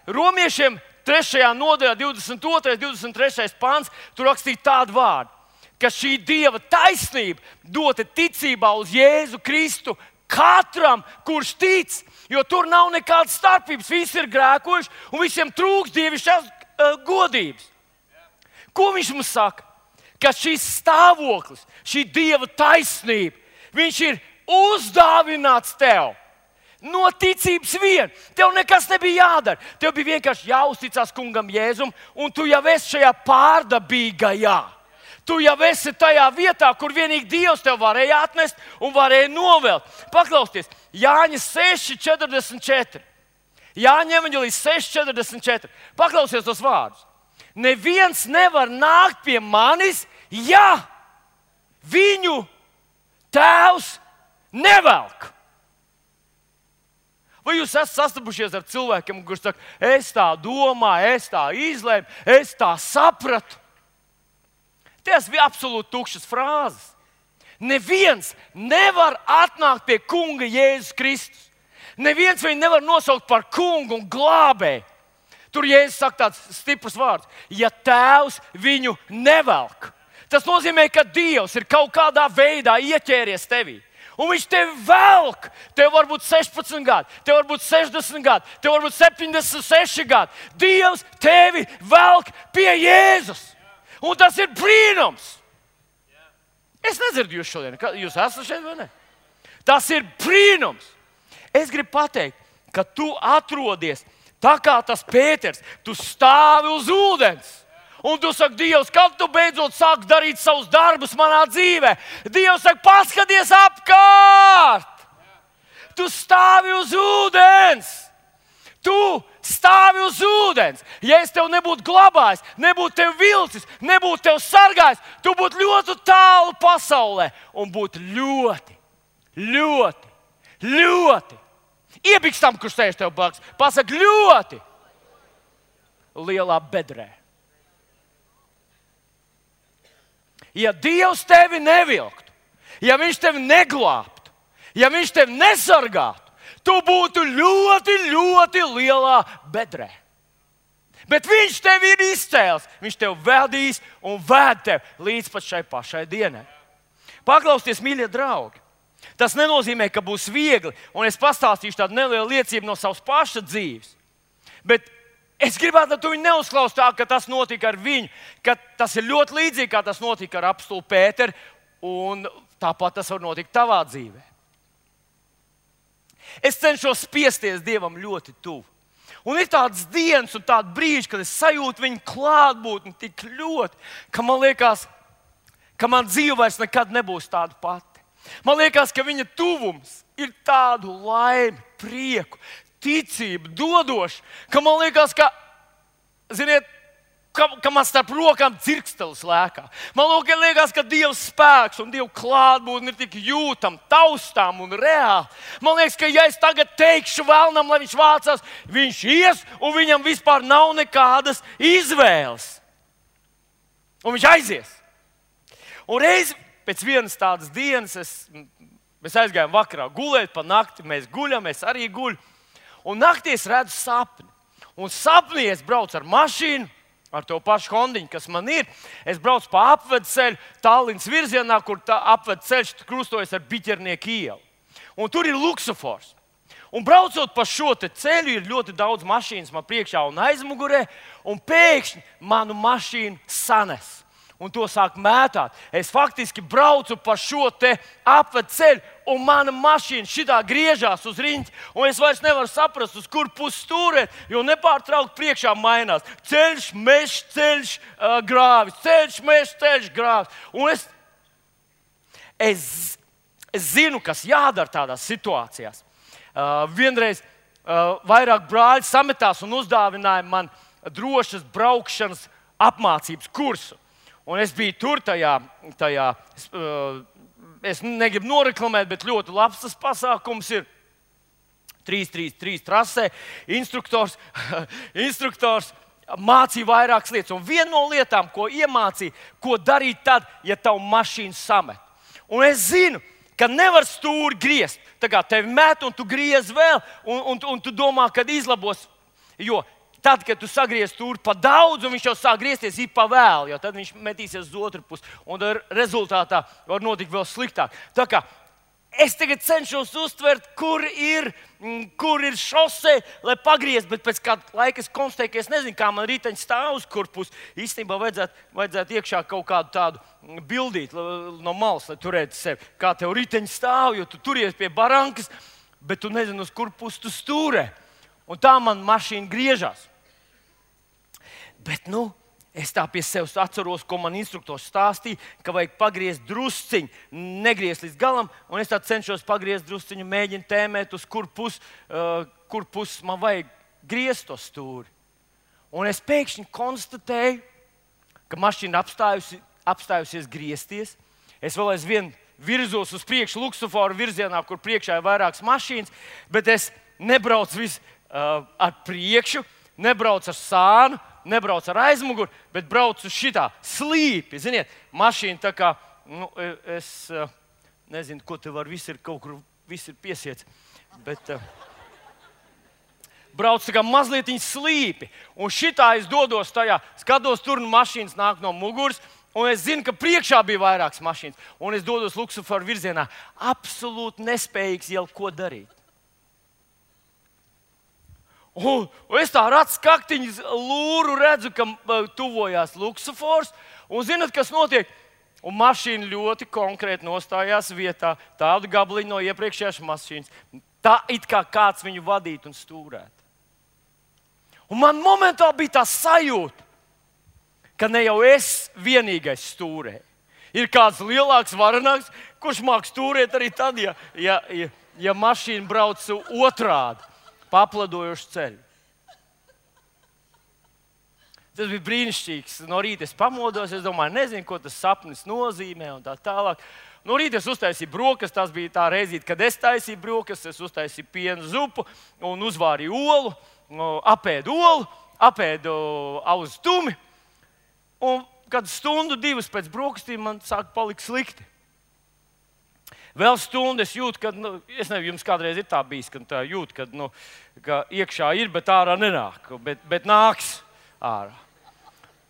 [SPEAKER 1] Romiešiem trešajā nodaļā, divdesmit otrais, divdesmit trešais pāns, tur rakstīja tādu vārdu, ka šī Dieva taisnība dota ticībā uz Jēzu Kristu katram, kurš tic, jo tur nav nekādas starpības. Visi ir grēkojuši un visiem trūks dievišķās uh, godības. Ko viņš mums saka? Ka šis stāvoklis, šī Dieva taisnība, viņš ir uzdāvināts tev. No ticības vien. Tev nekas nebija jādara. Tev bija vienkārši jāuzticas kungam Jēzum, un tu jau esi šajā pārdabīgajā. Tu jau esi tajā vietā, kur vienīgi Dievs tev varēja atnest un varēja novelt. Paklausieties, Jāņa seši četrdesmit četri. Jāņa evaņģēlijas seši četrdesmit četri. Paklausieties tos vārdus. Neviens nevar nākt pie manis, ja viņu tēvs nevelk. Vai jūs esat sastapušies ar cilvēkiem, kurš saka, es tā domāju, es tā izlēmu, es tā sapratu? Tas bija absolūti tukšas frāzes. Neviens nevar atnākt pie kunga Jēzus Kristus. Neviens viņu nevar nosaukt par kungu un glābēju. Tur Jēzus saka tāds stiprs vārds. Ja tēvs viņu nevelk, tas nozīmē, ka Dievs ir kaut kādā veidā ieķēries tevī. Un viņš tevi velk. Tev var būt sešpadsmit gadi, tev var būt sešdesmit gadi, tev var būt septiņdesmit seši gadi. Dievs tevi velk pie Jēzus. Un tas ir brīnums. Es nedzirdu jūs šodien. Jūs esat šeit vai ne? Tas ir brīnums. Es gribu pateikt, ka tu atrodies tā kā tas Pēters. Tu stāvi uz ūdens. Un tu saki, Dievs, kad tu beidzot sāki darīt savus darbus manā dzīvē? Dievs saka, paskaties apkārt! Tu stāvi uz ūdens! Tu stāvi uz ūdens. Ja es tev nebūtu glabājis, nebūtu tev vilcis, nebūtu tev sargājis, tu būtu ļoti tālu pasaulē un būtu ļoti, ļoti, ļoti. Iebikstam, kurš sēž tev blakus. Pasaka ļoti lielā bedrē. Ja Dievs tevi nevilktu, ja viņš tevi neglābtu, ja viņš tevi nesargātu, tu būtu ļoti, ļoti lielā bedrē. Bet viņš tevi ir izcēlis, viņš tevi vedīs un ved tevi līdz pat šai pašai dienai. Paklausieties, mīļie draugi. Tas nenozīmē, ka būs viegli, un es pastāstīšu tādu nelielu liecību no savas paša dzīves. Bet es gribētu, lai tu viņu neuzklausītu tā, ka tas notika ar viņu, ka tas ir ļoti līdzīgi, kā tas notika ar apstulu Pēteru, un tāpat tas var notikt tavā dzīvē. Es cenšos spiesties Dievam ļoti tuvu. Un ir tādas dienas un tādi brīži, kad es sajūtu viņa klātbūtni tik ļoti, ka man liekas, ka man dzīve vairs nekad nebūs tāda pati. Man liekas, ka viņa tuvums ir tādu laimi, prieku, ticību dodoši, ka man liekas, ka, ziniet, ka, ka man starp rokām dzirkstelis lēkā. Man liekas, ka Dieva spēks un Dieva klātbūtne ir tik jūtama, taustām un reāli. Man liekas, ka ja es tagad teikšu vēlnam, lai viņš vācās, viņš ies un viņam vispār nav nekādas izvēles. Un viņš aizies. Un reiz pēc vienas tādas dienas es, mēs aizgājām vakarā gulēt pa nakti, mēs guļam, es arī guļu. Un naktī es redzu sapni. Un sapnī es braucu ar mašīnu, ar to pašu Hondiņu, kas man ir. Es braucu pa apvedceļu Tallinas virzienā, kur tā apvedceļš krustojas ar Biķernieku ielu. Un tur ir luksofors. Un braucot pa šo te ceļu, ir ļoti daudz mašīnas man priekšā un aizmugurē. Un pēkšņi manu mašīnu sanes. Un to sāk mētāt. Es faktiski braucu pa šo te apvedceļu, un mana mašīna šitā griežās uz riņķi. Un es vairs nevaru saprast, uz kur pusi stūrēt, jo nepārtraukti priekšā mainās. Ceļš, mežs, ceļš, uh, grāvis, ceļš, mežs, ceļš, grāvis. Un es, es, es zinu, kas jādara tādās situācijās. Uh, vienreiz uh, vairāk brāļi sametās un uzdāvināja man drošas braukšanas apmācības kursu. Un es biju tur tajā, tajā uh, es negribu noreklamēt, bet ļoti labs tas pasākums ir. trīs trīs trīs trasē, instruktors, instruktors mācīja vairākas lietas. Un viena no lietām, ko iemācīja, ko darīt tad, ja tavu mašīnu samet. Un es zinu, ka nevar stūri griezt. Tā kā tevi met un tu griez vēl, un, un, un tu domā, kad izlabos. Jo tad, kad tu sagriez stūri pa daudz, un viņš jau sāk griezties, ir pa vēlu, jo tad viņš metīsies uz otru pusi. Un rezultātā var notikt vēl sliktāk. Tā kā es tagad cenšos uztvert, kur ir, kur ir šose, lai pagrieztu, bet pēc kāda laika es konstatēju, ka es nezinu, kā man riteņš stāv uz kur pusi. Īstenībā vajadzētu, vajadzētu iekšā kaut kādu tādu bildīt no malas, lai turētu sevi. Kā tev riteņš stāv, jo tu turies pie barankas, bet tu nezini, uz kur pusi tu stūrē. Un tā man mašīna griežās. Bet, nu, es tā pie sevis atceros, ko man instruktors stāstīja, ka vajag pagriezt drusciņu, negriezt līdz galam, un es tā cenšos pagriezt drusciņu, mēģinu tēmēt, uz kur pusi uh, kur pus man vajag griezt to stūri. Un es pēkšņi konstatēju, ka mašīna apstājusi, apstājusies griezties. Es vēl aizvien virzos uz priekšu luksuforu virzienā, kur priekšā ir vairākas mašīnas, bet es nebraucu vis, uh, ar priekšu, nebraucu ar sānu, nebrauc ar aizmuguri, bet brauc uz šitā slīpi. Ziniet, mašīna tā kā, nu, es nezinu, ko te var, viss ir kaut kur, viss ir piesiets, bet uh, brauc tā kā mazlietiņ slīpi. Un šitā es dodos tajā, skatos tur, un mašīnas nāk no muguras, un es zinu, ka priekšā bija vairākas mašīnas, un es dodos luksuforu virzienā, absolūti nespējīgs jau ko darīt. Un, un es tā ar acu kaktiņu lūru redzu, ka uh, tuvojās luksofors. Un zināt, kas notiek? Un mašīna ļoti konkrēti nostājās vietā. Tādu gabaliņu no iepriekšējās mašīnas. Tā it kā kāds viņu vadītu un stūrētu. Un man momentā bija tā sajūta, ka ne jau es vienīgais stūrēju. Ir kāds lielāks, varenāks, kurš māk stūrēt arī tad, ja, ja, ja, ja mašīna brauc otrādi. Papladojuši ceļu. Tas bija brīnišķīgs. No rīta es pamodos, es domāju, nezinu, ko tas sapnis nozīmē un tā tālāk. No rīta es uztaisīju brokastis, tas bija tā reizīte, kad es taisīju brokastis, es uztaisīju piena zupu un uzvārīju olu, apēdu olu, apēdu auzu tumi. Un kad stundu, divas pēc brokastīm man sāk palikt slikti. Vēl stundu es jūtu, ka, nu, es nezinu, jums kādreiz ir tā bijis, ka tā jūt, ka, nu, ka iekšā ir, bet ārā nenāk, bet, bet nāks ārā.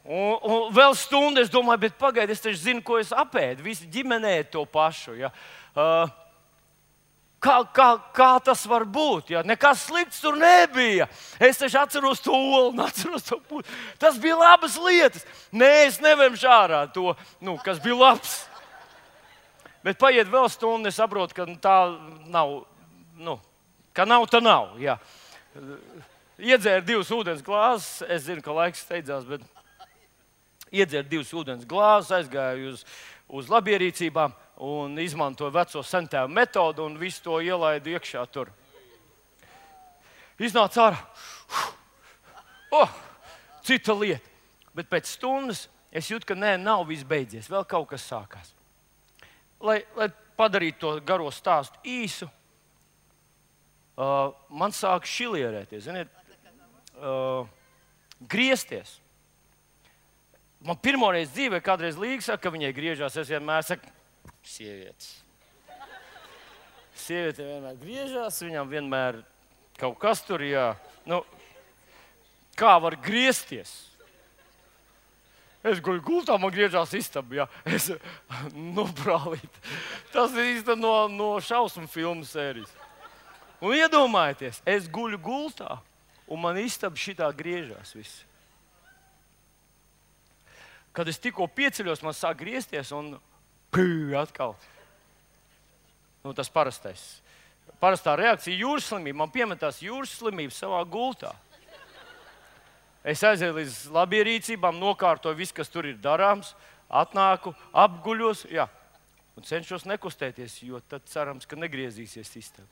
[SPEAKER 1] Un, un vēl stundu es domāju, bet pagaidi, es taču zinu, ko es apēdu. Visi ģimenē to pašu. Ja. Uh, kā, kā, kā tas var būt? Ja. Nekas slikts tur nebija. Es taču atceros to olu, atceros to putu. Tas bija labas lietas. Nē, es nevemšu ārā to, nu, kas bija labs. Bet paiet vēl stundu, es saprotu, ka tā nav, nu, ka nav, tā nav. Ja. Iedzēru divus ūdens glāzes. Es zinu, ka laiks steidzās, bet iedzēru divus ūdens glāzes, aizgāju uz, uz labierīcībām un izmantoju veco sentēvu metodu un visu to ielaidu iekšā tur. Iznāca ārā. Oh, cita lieta. Bet pēc stundas es jūtu, ka nē, nav viss beidzies. Vēl kaut kas sākās. Lai, lai padarītu to garo stāstu īsu, uh, man sāk šilierēties, ziniet, uh, griezties. Man pirmoreiz dzīvē kādreiz līga saka, ka viņai griežās. Es vienmēr saku, sievietes. Sieviete vienmēr griežās, viņam vienmēr kaut kas tur, jā. Nu, kā var griezties? Es guļu gultā, man griežās istaba, jā. Es, nu, brālīt. Tas ir īsti no, no šausmu filmu sērijas. Un iedomājieties, es guļu gultā, un man istaba šitā griežās viss. Kad es tikko pieceļos, man sāk griezties un pū, atkal. Nu, tas parastais. Parastā reakcija jūras slimība. Man piemetās jūras slimība savā gultā. Es aizēju līdz labierīcībām, nokārtoju visu, kas tur ir darāms, atnāku, apguļos, jā, un cenšos nekustēties, jo tad cerams, ka negriezīsies istaba.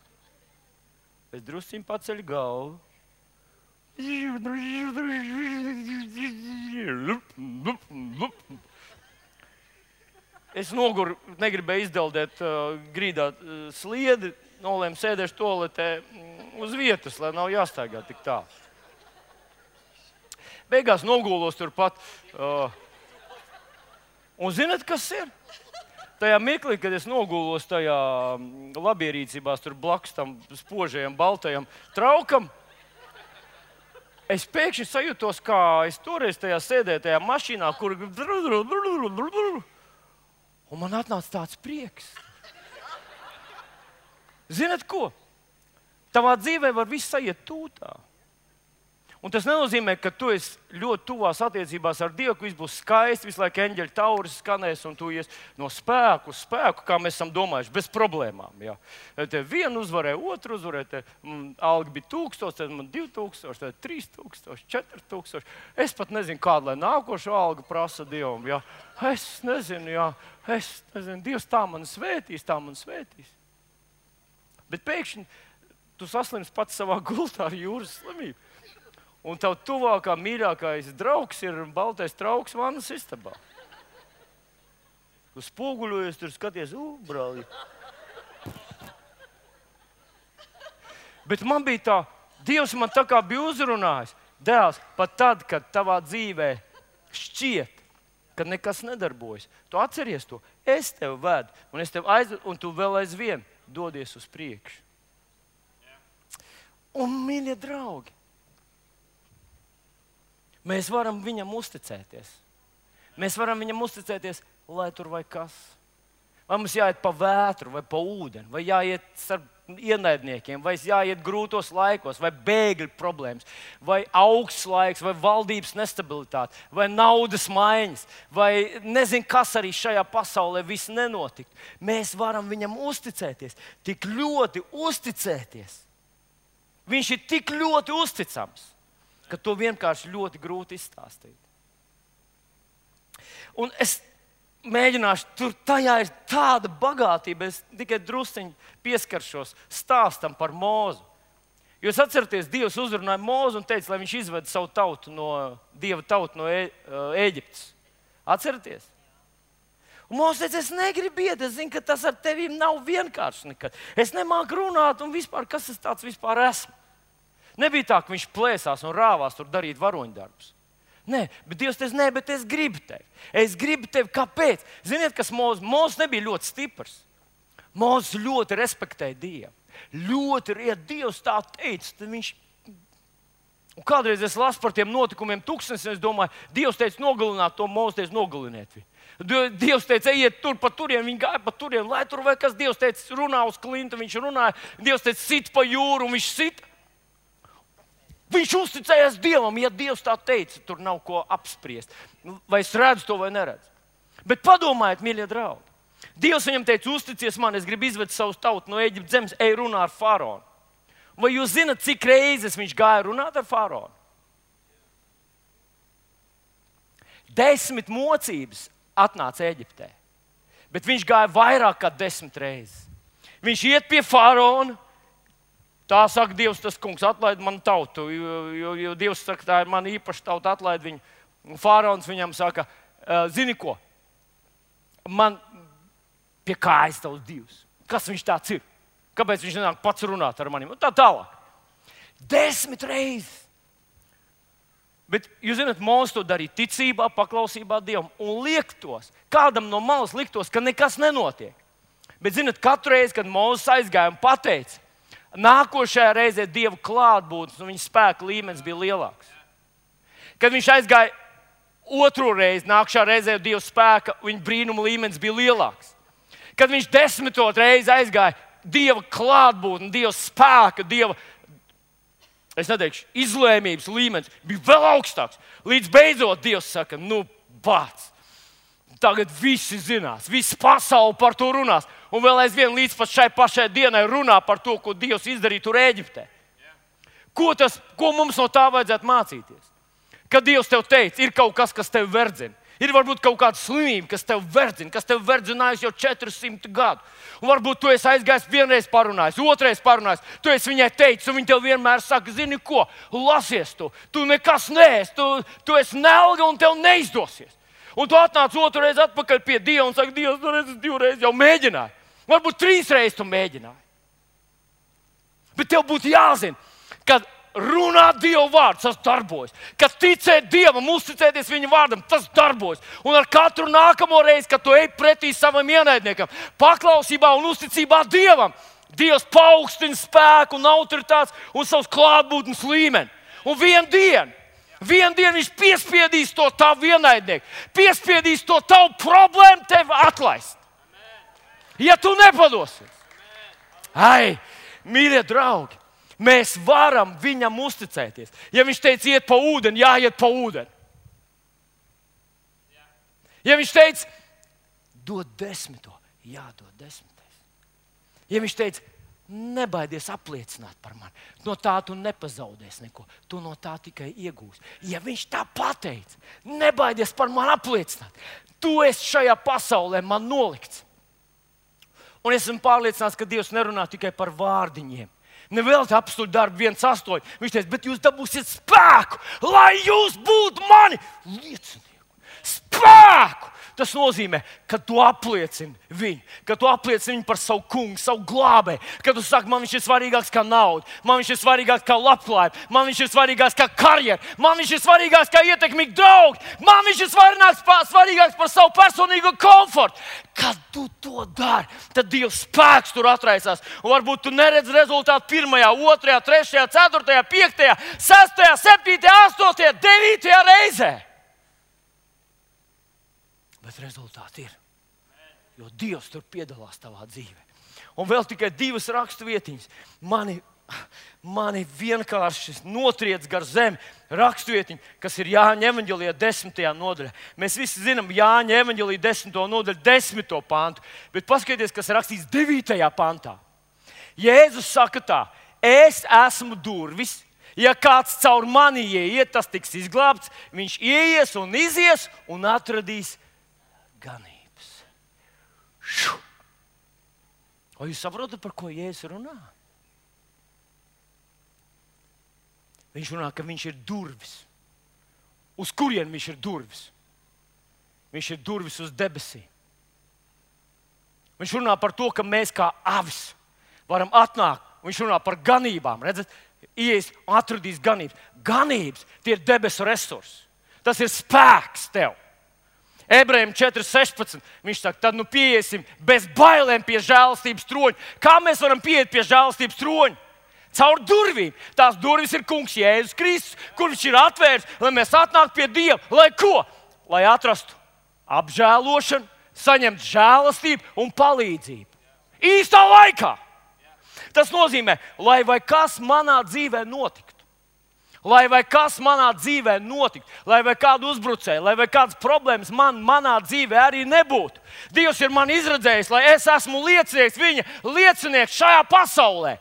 [SPEAKER 1] Es drusciņ paceļu galvu. Es noguru, negribēju izdeldēt uh, grīdā uh, sliedi, nolēmu sēdēšu toaletē uz vietas, lai nav jāstaigā tik tālu. Beigās nogulos turpat. Uh, un zināt, kas ir? Tajā mirklī, kad es nogulos tajā labierīcībās, tur blakus tam spožajam, baltajam traukam, es pēkšņi sajūtos, kā es toreiz tajā sēdēju tajā mašīnā, kur un man atnāca tāds prieks. Zināt ko? Tavā dzīvē var viss aiziet tūtā. Un tas nenozīmē, ka tu esi ļoti tuvās attiecībās ar Dievu, ka viss būs skaisti, visu laiku eņģeļu tauris skanēs un tu ies no spēku uz spēku, kā mēs esam domājuši, bez problēmām. Jā. Te vienu uzvarēja, otru uzvarēja, te mm, alga bija tūkstoši, tad man divi tūkstoši, tad trīs tūkstoši, četri tūkstoši. Es pat nezinu, kādu, lai nākošo algu prasa Dievam. Jā. Es nezinu, jā, es nezinu, Dievs tā man svētīs, tā man svētīs. Bet pēkšņi tu saslimsi pats savā gultā ar jūras slimību. Un tavu tuvākā, mīļākais draugs ir baltais trauks vannas istabā. Tu spoguļojies, tur skaties, ū, brāli. Bet man bija tā, Dievs man tā kā bija uzrunājis. Dēls, pat tad, kad tavā dzīvē šķiet, ka nekas nedarbojas, tu atceries to. Es tevi vedu, un, es tevi aizvedu, un tu vēl aizvien dodies uz priekšu. Un, mīļie draugi, mēs varam viņam uzticēties. Mēs varam viņam uzticēties, lai tur vai kas. Vai mums jāiet pa vētru, vai pa ūdeni, vai jāiet starp ienaidniekiem, vai jāiet grūtos laikos, vai bēgļu problēmas, vai augsts laiks, vai valdības nestabilitāte, vai naudas maiņas, vai nezinu, kas arī šajā pasaulē viss nenotikt. Mēs varam viņam uzticēties, tik ļoti uzticēties. Viņš ir tik ļoti uzticams, ka to vienkārši ļoti grūti izstāstīt. Un es mēģināšu, tur tajā ir tāda bagātība, es tikai drusciņi pieskaršos stāstam par Mūzu. Jūs atceraties, Dievs uzrunāja Mūzu un teica, lai viņš izved savu tautu no Dieva tautu no Ē, Ēģiptes. Atceraties? Un Mūzes teica, es negribu iet, es zinu, ka tas ar tevīm nav vienkārši nekad. Es nemāku runāt un vispār, kas es tāds vispār esmu. Nebija tā, ka viņš plēsās un rāvās tur darīt varoņdarbus. Nē, bet Dievs teica, nē, bet es gribu tevi. Es gribu tevi, kāpēc? Ziniet, kas Mūzes? Mūzes nebija ļoti stiprs. Mūzes ļoti respektēja Dievu. Ļoti, ja Dievs tā teica, tad viņš... Un kādreiz es lasu par tiem notikumiem tūkstnesiem, es domāju, Dievs teica nogalināt to, Mūzes teica nogaliniet viņu. Dievs teica, ejiet tur pa turien, viņi gāja pa turien, lai tur vai kas. Dievs teica, runā uz klintu, viņš runāja. Dievs teica, sit pa jūru, un viņš sit. Viņš uzticējās Dievam, ja Dievs tā teica, tur nav ko apspriest. Vai es redzu to vai neredzu. Bet padomājiet, mīļie draugi. Dievs viņam teica, uzticies man, es gribu izvest savu tautu no Ēģiptes zemes, ej runā ar faraonu. Vai jūs zināt, cik reizes viņš gāja runāt ar faraonu? Desmit mocības atnāca Ēģiptē, bet viņš gāja vairāk kā desmit reizes. Viņš iet pie faraona, tā saka, Dievs, tas kungs, atlaid manu tautu, jo, jo, jo Dievs saka, tā ir man īpaša tauta, atlaid viņu. Un faraons viņam saka, zini ko, man pie kājas tavs Dievs. Kas viņš tāds ir? Kāpēc viņš nenāk pats runāt ar maniem? Un tā tālāk. Desmit reizes. Bet, jūs zināt, Mūzes to darīja ticībā, paklausībā Dievam un liektos. Kādam no malas liktos, ka nekas nenotiek. Bet, zināt, katru reizi, kad Mūzes aizgāja un pateica, nākošajā reizē Dieva klātbūtnes un viņa spēka līmenis bija lielāks. Kad viņš aizgāja otro reizi, nākošajā reizē Dieva spēka un viņa brīnuma līmenis bija lielāks. Kad viņš desmitot reizi aizgāja, Dieva klātbūtne, Dieva spēka, Dieva, es neteikšu, izlēmības līmenis bija vēl augstāks. Līdz beidzot Dievs saka, nu, bāc, tagad visi zinās, visa pasaule par to runās. Un vēl aizvien līdz pat šai pašai dienai runā par to, ko Dievs izdarīja tur Ēģiptē. Ko, tas, ko mums no tā vajadzētu mācīties? Kad Dievs tev teica, ir kaut kas, kas tev verdzina. Ir varbūt kaut kāda slimība, kas tev verdzina, kas tev verdzinājusi jau četrsimt gadu. Un varbūt tu esi aizgājis vienreiz parunājis, otrreiz parunājis. Tu esi viņai teicis, un viņa tev vienmēr saka, zini ko, lasies tu. Tu nekas neesi, tu, tu esi nelga un tev neizdosies. Un tu atnāc otru reizi atpakaļ pie Dieva un saka, Dievs, nu reiz, divreiz jau mēģināji. Varbūt trīs reizes tu mēģināji. Bet tev būtu jāzina, ka runāt Dieva vārdu, tas darbojas. Kad ticēt Dievam, uzticēties viņa vārdam, tas darbojas. Un ar katru nākamo reizi, kad tu ej pretī savam ienaidniekam, paklausībā un uzticībā Dievam, Dievs paaugstina spēku un autoritātes un savus klātbūtnes līmeni. Un vienu dienu, vienu dienu viņš piespiedīs to tavu ienaidnieku, piespiedīs to tavu problēmu tev atlaist. Ja tu nepadosies. Ai, mīļie draugi, mēs varam viņam uzticēties. Ja viņš teica, iet pa ūdeni, jāiet pa ūdeni. Ja viņš teica, dod desmito, jādod desmitais. Ja viņš teica, nebaidies apliecināt par mani, no tā tu nepazaudēsi neko, tu no tā tikai iegūsi. Ja viņš tā pateica, nebaidies par mani apliecināt, tu esi šajā pasaulē man nolikts. Un es esmu pārliecināts, ka Dievs nerunā tikai par vārdiņiem. Nevēl te apstuļu darbu viens astoņi. Viņš teica, bet jūs dabūsiet spēku, lai jūs būtu mani liecinieku. Spēku! Tas nozīmē, ka tu apliecini viņu, ka tu apliecini viņu par savu kungu, savu glābēju, ka tu saki, man viņš ir svarīgāks kā nauda, man viņš ir svarīgāks kā labklājība, man viņš ir svarīgāks kā karjera, man viņš ir svarīgāks kā ietekmīgi draugi, man viņš ir svarīgāks, svarīgāks par savu personīgo komfortu. Kad tu to dari, tad Dieva spēks tur atraisās. Un varbūt tu neredzi rezultātu pirmajā, otrajā, trešajā, ceturtajā, piektajā, sestajā, septītajā, astotajā, devītajā reizē. Bet rezultāti ir, jo Dievs tur piedalās tavā dzīvē. Un vēl tikai divas rakstu vietiņas. Mani, mani vienkārši notriec gar zemi rakstu vietiņu, kas ir Jāņa evaņģēlijā desmitajā nodaļā. Mēs visi zinām Jāņa evaņģēlijā desmito nodaļu, desmito pantu. Bet paskatieties, kas rakstīts devītajā pantā. Jēzus saka tā, es esmu durvis. Ja kāds caur mani ieiet, tas tiks izglābts. Viņš ieies un izies un atradīs ganības. Šu. O jūs saprotat, par ko Jēzus runā? Viņš runā, ka viņš ir durvis. Uz kurien viņš ir durvis? Viņš ir durvis uz debesīm. Viņš runā par to, ka mēs kā avis varam atnākt. Viņš runā par ganībām. Redzat, ies un atradīs ganības. Ganības, tie ir debesu resursi. Tas ir spēks tev. Ebrejiem četri sešpadsmit. Viņš saka, tad nu pieiesim bez bailēm pie žēlastības troņa. Kā mēs varam pieiet pie žēlastības troņa? Caur durvīm. Tās durvis ir kungs Jēzus Kristus, kur viņš ir atvērs, lai mēs atnāktu pie Dieva. Lai ko? Lai atrastu apžēlošanu, saņemtu žēlastību un palīdzību. Īstā laikā. Tas nozīmē, lai vai kas manā dzīvē notiktu. Lai vai kas manā dzīvē notiktu, lai vai kādu uzbrucēju, lai vai kādas problēmas man, manā dzīvē arī nebūtu. Dievs ir man izredzējis, lai es esmu liecinieks, viņa liecinieks šajā pasaulē.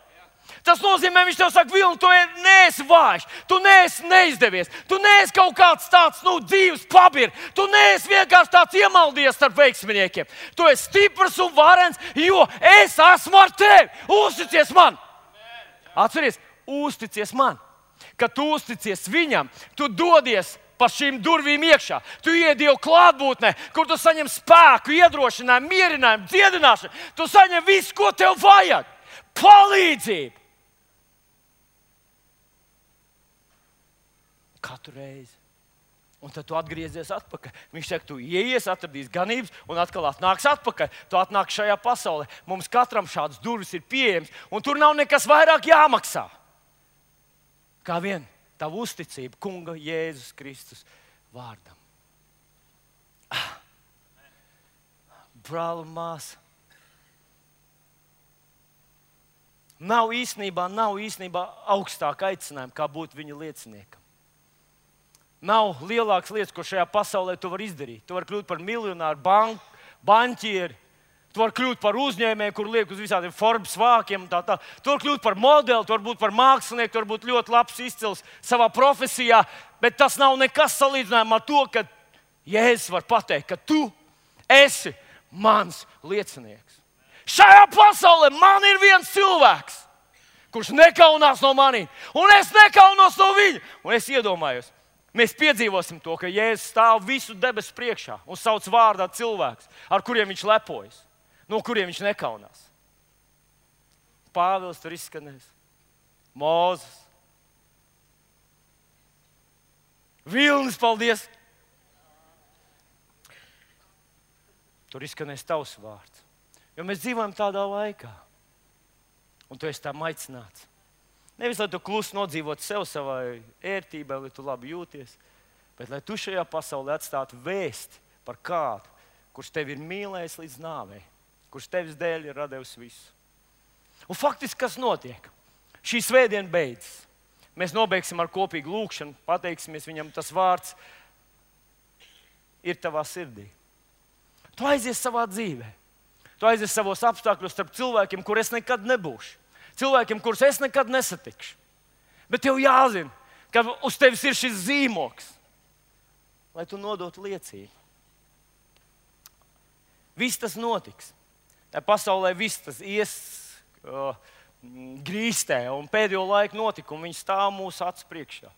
[SPEAKER 1] Tas nozīmē, viņš tev saka, Vilni, tu neesi vājš, tu neesi neizdevies, tu neesi kaut kāds tāds, nu, dzīves pabir, tu neesi vienkārši tāds iemaldies starp veiksminiekiem. Tu esi stiprs un varens, jo es esmu ar tevi. Uzticies man! Atceries, uzticies man! Kad tu uzticies viņam, tu dodies pa šīm durvīm iekšā. Tu ied Dieva klātbūtnē, kur tu saņem spēku, iedrošinājumu, mierinājumu, dziedināšanu. Tu saņem visu, ko tev vajag. Palīdzību. Katru reizi. Un tad tu atgriezies atpakaļ. Viņš saka, tu ieies, atradīs ganības un atkal atnāks atpakaļ. Tu atnāks šajā pasaulē. Mums katram šādas durvis ir pieejamas, un tur nav nekas vairāk jāmaksā. Kā vien tavu uzticību kunga Jēzus Kristus vārdam. Ah. Brāl un māsa. Nav īstenībā, nav īstenībā augstāka aicinājuma, kā būt viņa lieciniekam. Nav lielākas lietas, ko šajā pasaulē tu vari izdarīt. Tu vari kļūt par miljonāru, bank, banķieri. Tu vari kļūt par uzņēmēju, kur liek uz visādiem Forbes vākiem. Tā, tā. Tu vari kļūt par modeli, tu vari būt par mākslinieku, tu vari būt ļoti labs, izcils savā profesijā. Bet tas nav nekas salīdzinājumā ar to, ka Jēzus var pateikt, ka tu esi mans liecinieks. Šajā pasaulē man ir viens cilvēks, kurš nekaunās no maniem, un es nekaunos no viņa. Un es iedomājos, mēs piedzīvosim to, ka Jēzus stāv visu debesu priekšā un sauc vārdā cilvēks, ar kuriem viņš lepojas, no kuriem viņš nekaunās. Pāvils tur izskanēs, Mūzes, Vilnis, paldies! Tur izskanēs tavs vārds. Jo mēs dzīvojam tādā laikā, un tu esi tam aicināts. Nevis, lai tu klusi nodzīvotu sev savai ērtībai, lai tu labi jūties, bet lai tu šajā pasaulē atstātu vēsti par kādu, kurš tevi ir mīlējis līdz nāvei, kurš tevis dēļ ir radījis visu. Un faktiski, kas notiek? Šī svētdiena beidzas. Mēs nobeigsim ar kopīgu lūkšanu, pateiksimies viņam, tas vārds ir tavā sirdī. Tu aizies savā dzīvē. Tu aizies savos apstākļos starp cilvēkiem, kur es nekad nebūšu. Cilvēkiem, kurus es nekad nesatikšu. Bet tev jāzina, ka uz tevis ir šis zīmoks, lai tu nodotu liecību. Viss tas notiks. Tā pasaulē viss tas ies uh, grīstē, un pēdējo laiku notikumi, viņi stāv mūsu acu priekšā.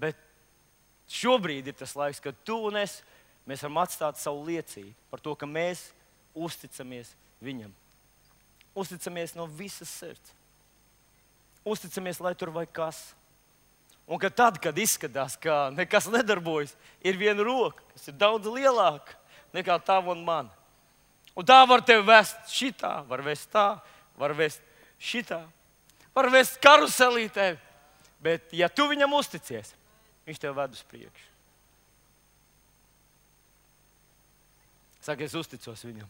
[SPEAKER 1] Bet šobrīd ir tas laiks, kad tu un es, mēs varam atstāt savu liecību par to, ka mēs uzticamies viņam. Uzticamies no visas sirds. Uzticamies, lai tur vai kas. Un ka tad, kad izskatās, ka nekas nedarbojas, ir viena roka, kas ir daudz lielāka nekā tava un mana. Un tā var tevi vest šitā, var vest tā, var vest šitā, var vest karuselī tevi. Bet ja tu viņam uzticies, viņš tev ved uz priekšu. Saka, es uzticos viņam.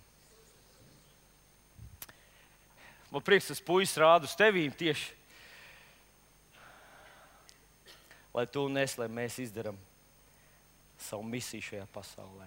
[SPEAKER 1] Man prieks, tas puisis rāda uz tevīm tieši, lai tu un es, lai mēs izdaram savu misiju šajā pasaulē.